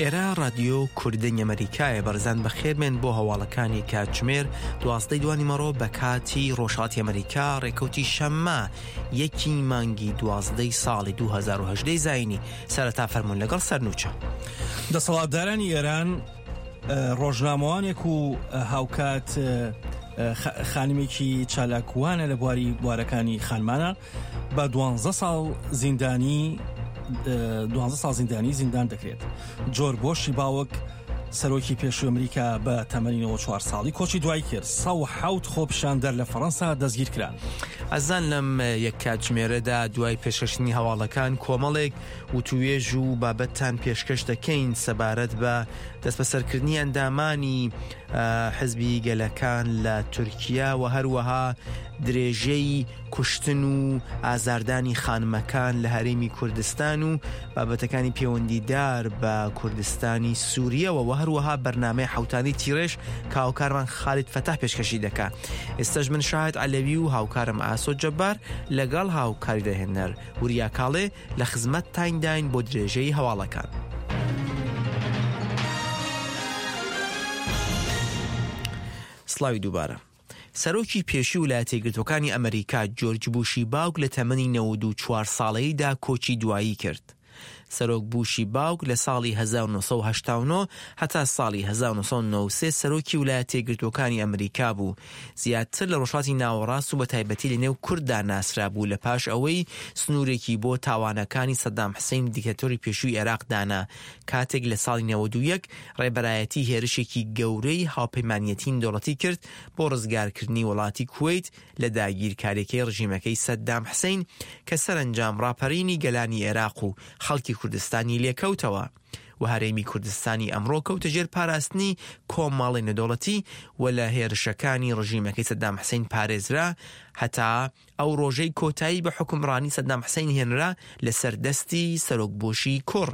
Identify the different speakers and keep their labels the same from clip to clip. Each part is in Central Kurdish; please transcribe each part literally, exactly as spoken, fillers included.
Speaker 1: ئێرە ڕادیۆ کوردەنگی ئەمەریکایە. بەڕێزان بەخێربێن بۆ هەواڵەکانی کاتژمێر دوازدەی دوانیمەڕۆ بە کاتی ڕۆژهەڵاتی ئەمەریکا، ڕێکەوتی شەممە یەکی مانگی دوازدەی ساڵی دوو هەزار و هەژدە زایینی. سەرەتا فەرمونون لەگەڵ سەرنوچە.
Speaker 2: دەسەڵاتدارانی ئێران ڕۆژنامەوانێک و هاوکات خانمێکی چالاکوانە لە بواری بوارەکانی خانمانە بە دوانزە ساڵ زیندانی دوانزە ساڵ زیندانی زیندان دەکرێت. جۆرج بۆشی باوک سەرۆکی پێشووی ئەمریکا بە تەمەنی نەوەد و چوار ساڵی کۆچی دوای کرد. سەد و حەوت خۆپیشاندەر لە فەڕەنسا دەستگیر کران.
Speaker 1: ئەزان لەم یەک کاتژمێرەدا دوای پێشکەشکردنی هەواڵەکان کۆمەڵێک وتوێژ و بابەتتان پێشکەش دەکەین سەبارەت بە دەستبەسەرکردنی ئەندامانی حزبی گەلەکان لە تورکیا و هەروەها درێژەی کوشتن و ئازاردانی خانمەکان لە هەرێمی کوردستان و بابەتەکانی پەیوەندیدار بە کوردستانی سووریەوە و هەروەها بەرنامەی حوتانی تیرێژ کە هاوکارمان خالید فەتاح پێشکەشی دەکا. ئێستاش من شاهد عەلەوی و هاوکارم ئاسۆ جەبار لەگەڵ هاوکاری دەهێنەر وریا کاڵێ لە خزمەت تاینداین بۆ درێژەی هەواڵەکان. سڵاوی دووبارە. سەرۆکی پێشووی ویلایەتە یەکگرتووەکانی ئەمریکا جۆرج بوشی باوک لە تەمەنی نەوەد و چوار ساڵەیدا کۆچی دوایی کرد. سەرۆک بوشی باوک لە ساڵی هەزار و نۆ سەد و هەشتا و نۆ هەتا ساڵی هەزار و نۆ سەد و نەوەد و سێ سەرۆکی ویلایەتە یەکگرتووەکانی ئەمریکا بوو. زیاتر لە ڕۆژهەڵاتی ناوەڕاست و بە تایبەتی لە نێو کورددا ناسرا بوو لە پاش ئەوەی سنوورێکی بۆ تاوانەکانی سەدام حسین دیکتاتۆری پێشووی عێراق دانا، کاتێک لە ساڵی نەوەد و یەک ڕێبەرایەتی هێرشێکی گەورەی هاوپەیمانیەتی نێودەوڵەتی کرد بۆ ڕزگارکردنی وڵاتی کوەیت لە داگیرکاریەکەی ڕژیمەکەی سەدام حسین کە سەرەنجام ڕاپەرینی گەلانی عێراق و خەڵکی کوردستانی لێکەوتەوە و هەرێمی کوردستانی ئەمڕۆ کەوتە ژێر پاراستنی کۆمەڵی نێودەوڵەتی و لە هێرشەکانی ڕژیمەکەی سەدام حسین پارێزرا هەتا ئەو ڕۆژەی کۆتایی بە حوکمڕانی سەدام حسین هێنرا لەسەر دەستی سەرۆک بوشی کوڕ.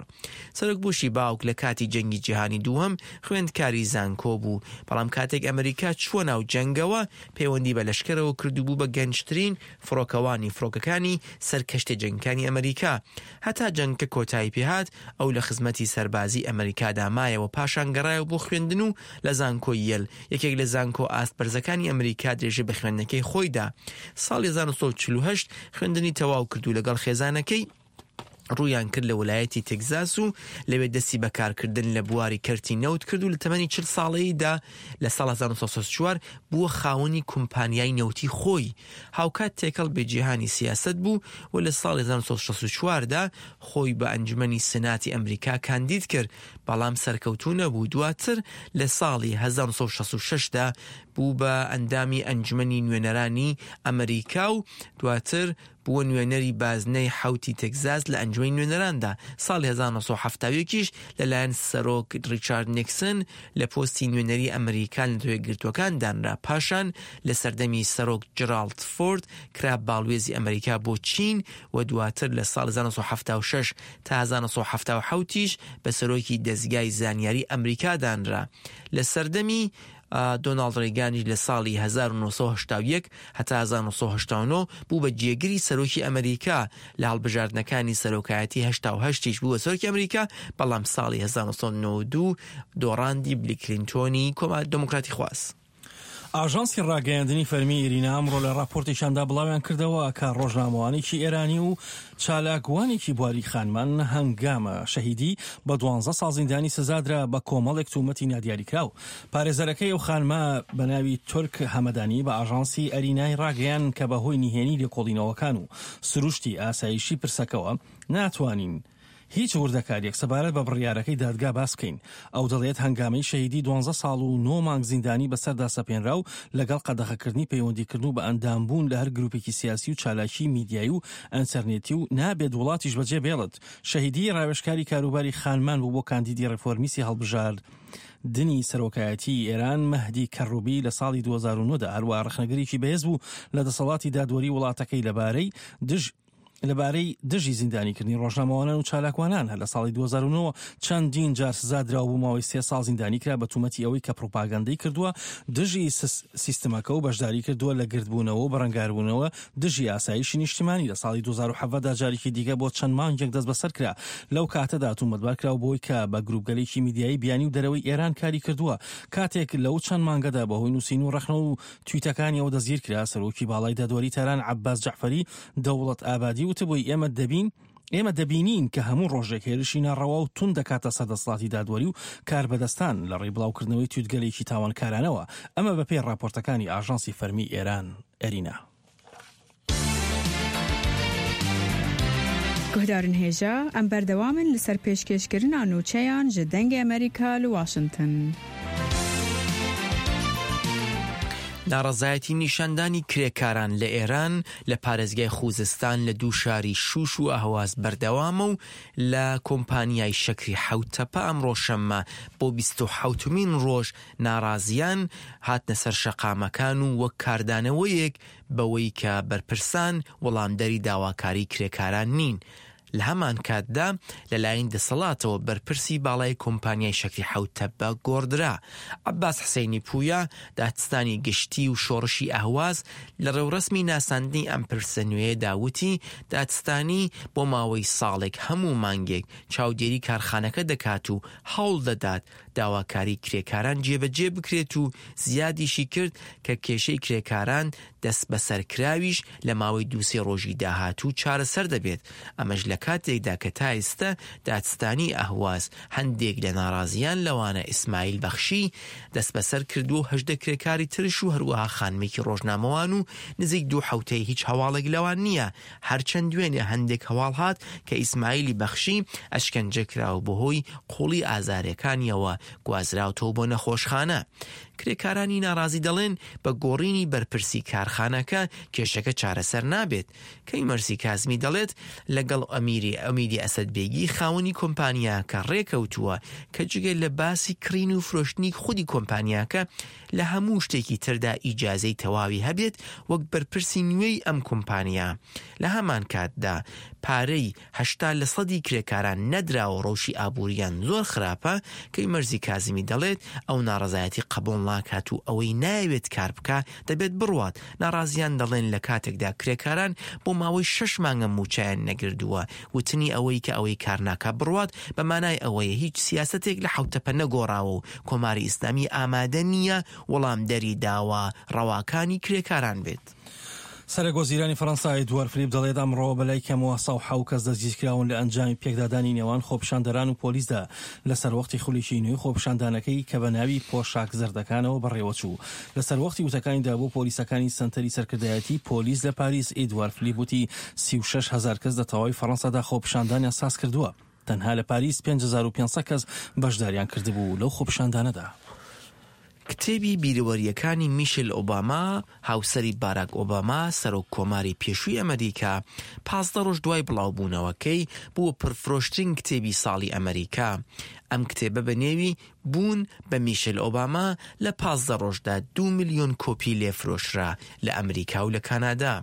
Speaker 1: سەرۆک بوشی باوک لە کاتی جەنگی جیهانی دووەم خوێندکاری زانکۆ بوو، بەڵام کاتێک ئەمریکا چووە ناو جەنگەوە پەیوەندی بە لەشکرەوە کرد و بوو بە گەنجترین فڕۆکەوانی فڕۆکەکانی سەرکەشتە جەنگەکانی ئەمریکا. هەتا جەنگەکە کۆتایی پێهات ئەو لە خزمەتی سەربازی ئەمریکادا مایەوە، پاشان گەڕایەوە بۆ خوێندن و لە زانکۆی یەل یەکێک لە زانکۆ ئاست بەرزەکانی ئەمریکا درێژە بە خوێندنەکەی خۆیدا. ساڵی هەزار و نۆ سەد و چل و هەشت خوێندنی تەواو کرد و لەگەڵ خێزانەکەی ڕوویان کرد لە ویلایەتی تێکزاس و لەوێ دەستی بەکارکردن لە بواری کەرتی نەوت کرد و لە تەمەنی چل ساڵەیدا لە ساڵ هەزار و نۆ سەد و شەست و چوار بووە خاوەنی کۆمپانیای نەوتی خۆی. هاوکات تێکەڵ بە جیهانی سیاسەت بوو و لە ساڵی هەزار و نۆ سەد و شەست و چواردا خۆی بە ئەنجومەنی سناتی ئەمریکا کاندید کرد، بەڵام سەرکەوتوو نەبوو. دواتر لە ساڵی هەزار و نۆ سەد و شەست و شەشدا بوو بە ئەندامی ئەنجومەنی نوێنەرانی ئەمریکا و دواتر بووە نوێنەری بازنەی حوتی تێکزاس لە ئەنجومەنی نوێنەراندا. ساڵی هەزار و نۆ سەد و حەفتا و یەکیش لەلایەن سەرۆک ڕیچارد نیکسن لە پۆستی نوێنەری ئەمریکا لە نەتەوە یەکگرتووەکان دانرا. پاشان لە سەردەمی سەرۆک جێراڵد فۆرد کرا باڵوێزی ئەمریکا بۆ چین و دواتر لە ساڵ هەزار و نۆ سەد و حەفتا و شەش تا هەزار و نۆ سەد و حەفتا و حەوتیش بە سەرۆکی دەزگای زانیاری ئەمریکا دانرا. لە سەردەمی دۆناڵد ڕیگانیش لە ساڵی هەزار و نۆ سەد و هەشتا و یەک هەتا هەزار و نۆ سەد و هەشتا و نۆ بوو بە جێگری سەرۆکی ئەمریکا. لە هەڵبژاردنەکانی سەرۆکایەتی هەشتا و هەشتیش بوو بە سەرۆکی ئەمریکا، بەڵام ساڵی هەزار و نۆ سەد و نەوەد و دوو دۆڕاندی بیل کلینتۆنی کۆمار دێموکراتی خواز.
Speaker 2: ئاژانسی ڕاگەیاندنی فەرمی ئیرینا ئەمڕۆ لە راپۆرتێکیاندا بڵاویان کردەوە کە ڕۆژنامەوانێکی ئێرانی و چالاکوانێکی بواری خانمان هەنگامە شەهیدی بە دوانزە ساڵ زیندانی سزادرا بە کۆمەڵێک تومەتی نادیاریکراو. پارێزەرەکەی ئەو خانمە بە ناوی تورک هەمەدانی بە ئاژانسی ئەرینای ڕاگەیان کە بەهۆی نهێنی لێکۆڵینەوەکان و سروشتی ئاسایشی پرسەکەوە ناتوانین هیچ وردەکاریەک سەبارەت بە بڕیارەکەی دادگا باس بکەین. ئەو دەڵێت هەنگامەی شەهیدی دوانزە ساڵ و نۆ مانگ زیندانی بەسەردا سەپێنرا و لەگەڵ قەدەغەکردنی پەیوەندیکردن و بە ئەندامبوون لە هەر گروپێکی سیاسی و چالاکی میدیایی و ئەنتەرنێتی و نابێت وڵاتیش بەجێ بێڵت. شەهیدی ڕاوێژکاری کاروباری خانمان بوو بۆ کاندیدی ڕێفۆرمیستی هەڵبژاردنی سەرۆکایەتی ئێران مەهدی کەڕوبی لە ساڵی دوو هەزار و نۆ دا. هەروەها ڕەخنەگرێکی بەهێز بوو لە دەسەڵاتی دادوەری وڵاتەکەی لەبارەی دژ لەبارەی دژی زیندانیکردنی ڕۆژنامەوانان و چالاکوانان. هەر لە ساڵی دوو هەزار و نۆ چەندین جار سزا درا و بۆ ماوەی سێ ساڵ زیندانی کرا بە تومەتی ئەوەی کە پروپاگەندەی کردووە دژی سیستمەکە و بەشداری کردووە لە گردبوونەوە و بەرەنگاربوونەوە دژی ئاسایشی نیشتیمانی. لە ساڵی دوو هەزار و حەڤدە دا جارێکی دیکە بۆ چەند مانگێک دەستبەسەر کرا. لەو کاتەدا تومەتبار کرا بۆی کە بە گروپگەلێکی میدیایی بیانی و دەرەوەی ئێران کاری کردووە. کاتێک لەو چەند مانگەدا بەهۆی نووسین و ڕەخنە و تویتەکانیەوە دەستگیر کرا، سەرۆکی باڵای دادوەری تاران عەباس جەعفەری دەوڵەت ئابادی وتبووی ئێمە دەبین ئێمە دەبینین کە هەموو ڕۆژێک هێرشی ناڕەوا و توند دەکاتە سەر دەسەڵاتی دادوەری و کاربەدەستان لە ڕێی بڵاوکردنەوەی تویتگەلێکی تاوانکارانەوە. ئەمە بەپێی ڕاپۆرتەکانی ئاژانسی فەرمی ئێران ئێرینا.
Speaker 3: گوهدارن هێژا ئەم بەردەوامن لەسەر پێشکێشکردنا نوچەیان ji دەنگی ئەمریکا لە واشنگتن.
Speaker 1: ناڕەزایەتی نیشاندانی کرێکاران لە ئێران لە پارێزگای خوزستان لە دوو شاری شوش و ئەهواز بەردەوامە و لە کۆمپانیای شەکری حەوتەپە ئەمڕۆ شەممە بۆ بیست و حەوتمین ڕۆژ ناڕازیان هاتنە سەر شەقامەکان و وەک کاردانەوەیەک بەوەی کە بەرپرسان وەڵامدەری داواکاری کرێکاران نین. لە هەمان کاتدا لەلایەن دەسەڵاتەوە بەرپرسی باڵای کۆمپانیای شەکری حەوتەپە گۆڕدرا. عەباس حسەینی پویا، دادستانی گشتی و شۆڕشی ئەهواز، لە ڕێوڕەسمی ناساندنی ئەم پرسە نوێیەدا وتی دادستانی بۆ ماوەی ساڵێک هەموو مانگێک چاودێری کارخانەکە دەکات و هەوڵ دەدات داواکاری کرێکاران جێبەجێ بکرێت و زیادیشی کرد کە کێشەی کرێکاران دەست بەسەرکراویش لە ماوەی دووسێ ڕۆژی داهاتوو چارەسەر دەبێت. ئەمەش لە کاتێکدا کە تا ئێستا دادستانی ئەهواز هەندێک لە ناڕازیان لەوانە ئیسماعیل بەخشی دەست بەسەر کردووە و هەژدە کرێکاری ترش و هەروەها خانمێکی ڕۆژنامەوان و نزیک دوو حەوتەی هیچ هەواڵێک لەوان نییە. هەرچەند دوێنێ هەندێک هەواڵ هات کە ئیسماعیلی بەخشی ئەشکەنجە کرا و بەهۆی قوڵی ئازارەکانیەوە گوازراوتەوە بۆ نەخۆشخانە. کرێکارانی ناڕازی دەڵێن بە گۆڕینی بەرپرسی کارخانەکە کێشەکە چارەسەر نابێت. کەی مەرسی کازمی دەڵێت لەگەڵ ئەمیری ئەمیدی ئەسەدبێگی خاوەنی کۆمپانیاکە ڕێکەوتووە کە جگە لە باسی کڕین و فرۆشتنی خودی کۆمپانیاکە لە هەموو شتێکی تردا ئیجازەی تەواوی هەبێت وەک بەرپرسی نوێی ئەم کۆمپانیا. لە هەمان کاتدا پارەی هەشتا لە سەدی کرێکاران نەدراوە، ڕەوشی ئابووریان زۆر خراپە. کەی مەرزی کازمی دەڵێت ئەو ناڕەزایەتی قبوڵ ناکات و ئەوەی ناوێت کار بکە دەبێت بڕوات. ناڕازیان دەڵێن لە کاتێکدا کرێکاران بۆ ماوەی شەش مانگە موچەیان نەگردووە، وتنی ئەوەی کە ئەوەی کار ناکا بڕوات بە مانای ئەوەیە هیچ سیاسەتێک لە حەوتەپە نەگۆڕاوە و کۆماری ئیسلامی ئامادە نییە وەڵامدەری داوا ڕەواکانی کرێکاران بێت.
Speaker 2: سەرۆک وەزیرانی فەرەنسا ئێدوار فلیپ دەڵێت ئەمڕۆ بەلای کەمەوە سەد و حەوت کەس دەستگیرکراون لە ئەنجامی پێکدادانی نێوان خۆپیشاندەران و پۆلیسدا لەسەر وەختی خولێکی نوێی خۆپیشاندانەکەی کە بە ناوی پۆشاک زەردەکانەوە بەڕێوەچوو. لەسەر وەختی وتەکانیدا بۆ پۆلیسەکانی سەنتەری سەرکردایەتی پۆلیس لە پاریس، ئێدوار فلیپ وتی سی و شەش هەزار کەس لە تەواوی فەرەنسادا خۆپیشاندانیان ساز کردووە. تەنها لە پاریس پێنج هەزار و پێنج سەد کەس بەشداریان کردبوو لەو خۆپیشاندانەدا.
Speaker 1: کتێبی بیرەوەریەکانی میشل ئۆباما، هاوسەری باراک ئۆباما، سەرۆک کۆماری پێشووی ئەمریکا، پازدە ڕۆژ دوای بڵاوبوونەوەکەی بووە پرفرۆشترین کتێبی ساڵی ئەمریکا. ئەم کتێبە بە نێوی بوون بە میشل ئۆباما لە پازدە ڕۆژدا دوو ملیۆن کۆپی لێفرۆشرا لە ئەمریکا و لە کانادا.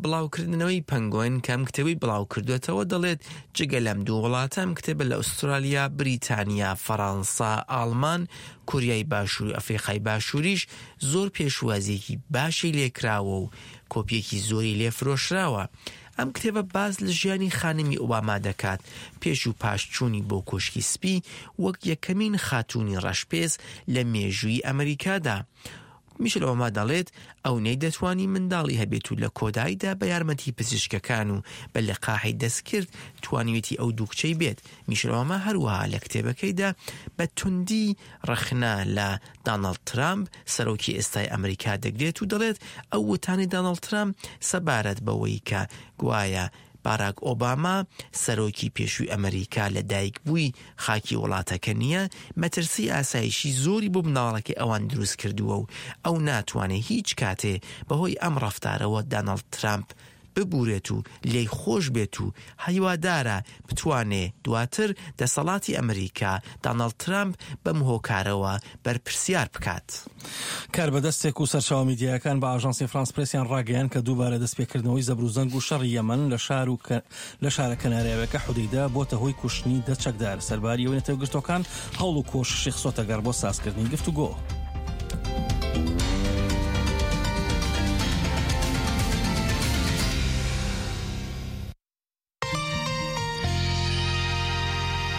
Speaker 1: بڵاوکردنەوەی پەنگۆین کە ئەم کتێبەی بڵاو کردوێتەوە دەڵێت جگە لەم دوو وڵاتە ئەم کتێبە لە ئوسترالیا، بریتانیا، فەڕەنسا، ئاڵمان، کۆریای باشوور و ئەفریقای باشووریش زۆر پێشوازیەکی باشی لێکراوە و کۆپیەکی زۆری لێفرۆشراوە. ئەم کتێبە باز لە ژیانی خانمی ئۆباما دەکات پێش و پاش چوونی بۆ کۆشکی سپی وەک یەکەمین خاتوونی ڕەشپێست لە مێژووی ئەمریکادا. میشل ئۆباما دەڵێت ئەو نەیدەتوانی منداڵی هەبێت و لە کۆداییدا بە یارمەتی پزیشکەکان و بە لقاحی دەستکرد توانیوێتی ئەو دوو کچەی بێت. میشل ئۆباما هەروەها لە کتێبەکەیدا بە توندی ڕەخنە لە داناڵد ترامپ سەرۆکی ئێستای ئەمریکا دەگرێت و دەڵێت ئەو وتانی داناڵد ترامپ سەبارەت بەوەی کە گوایە باراک ئۆباما سەرۆکی پێشووی ئەمریکا لە دایک بووی خاکی وڵاتەکە نییە، مەترسی ئاسایشی زۆری بۆ مناڵەکەی ئەوان دروست کردووە و ئەو ناتوانێت هیچ کاتێ بەهۆی ئەم ڕەفتارەوە داناڵد ترامپ ببورێت و لێی خۆش بێت و هیوادارە بتوانێ دواتر دەسەڵاتی ئەمریکا داناڵد ترامپ بەم هۆکارەوە بەرپرسیار بکات.
Speaker 2: کاربەدەستێک و سەرچاوە میدیایەکان بە ئاژانسی فرانس پرێسیان ڕاگەیاند کە دووبارە دەستپێکردنەوەی زەبروزەنگ و شەڕی یەمەن لە شار و لە شارە کەناراویەکە حودەیدە بۆتە هۆی کوشتنی دە چەکدار، سەرباری ئەوەی نەتەوەیەکگرتووەکان هەوڵ و کۆششی خستۆتە گەڕ بۆ سازکردنی گفتوگۆ.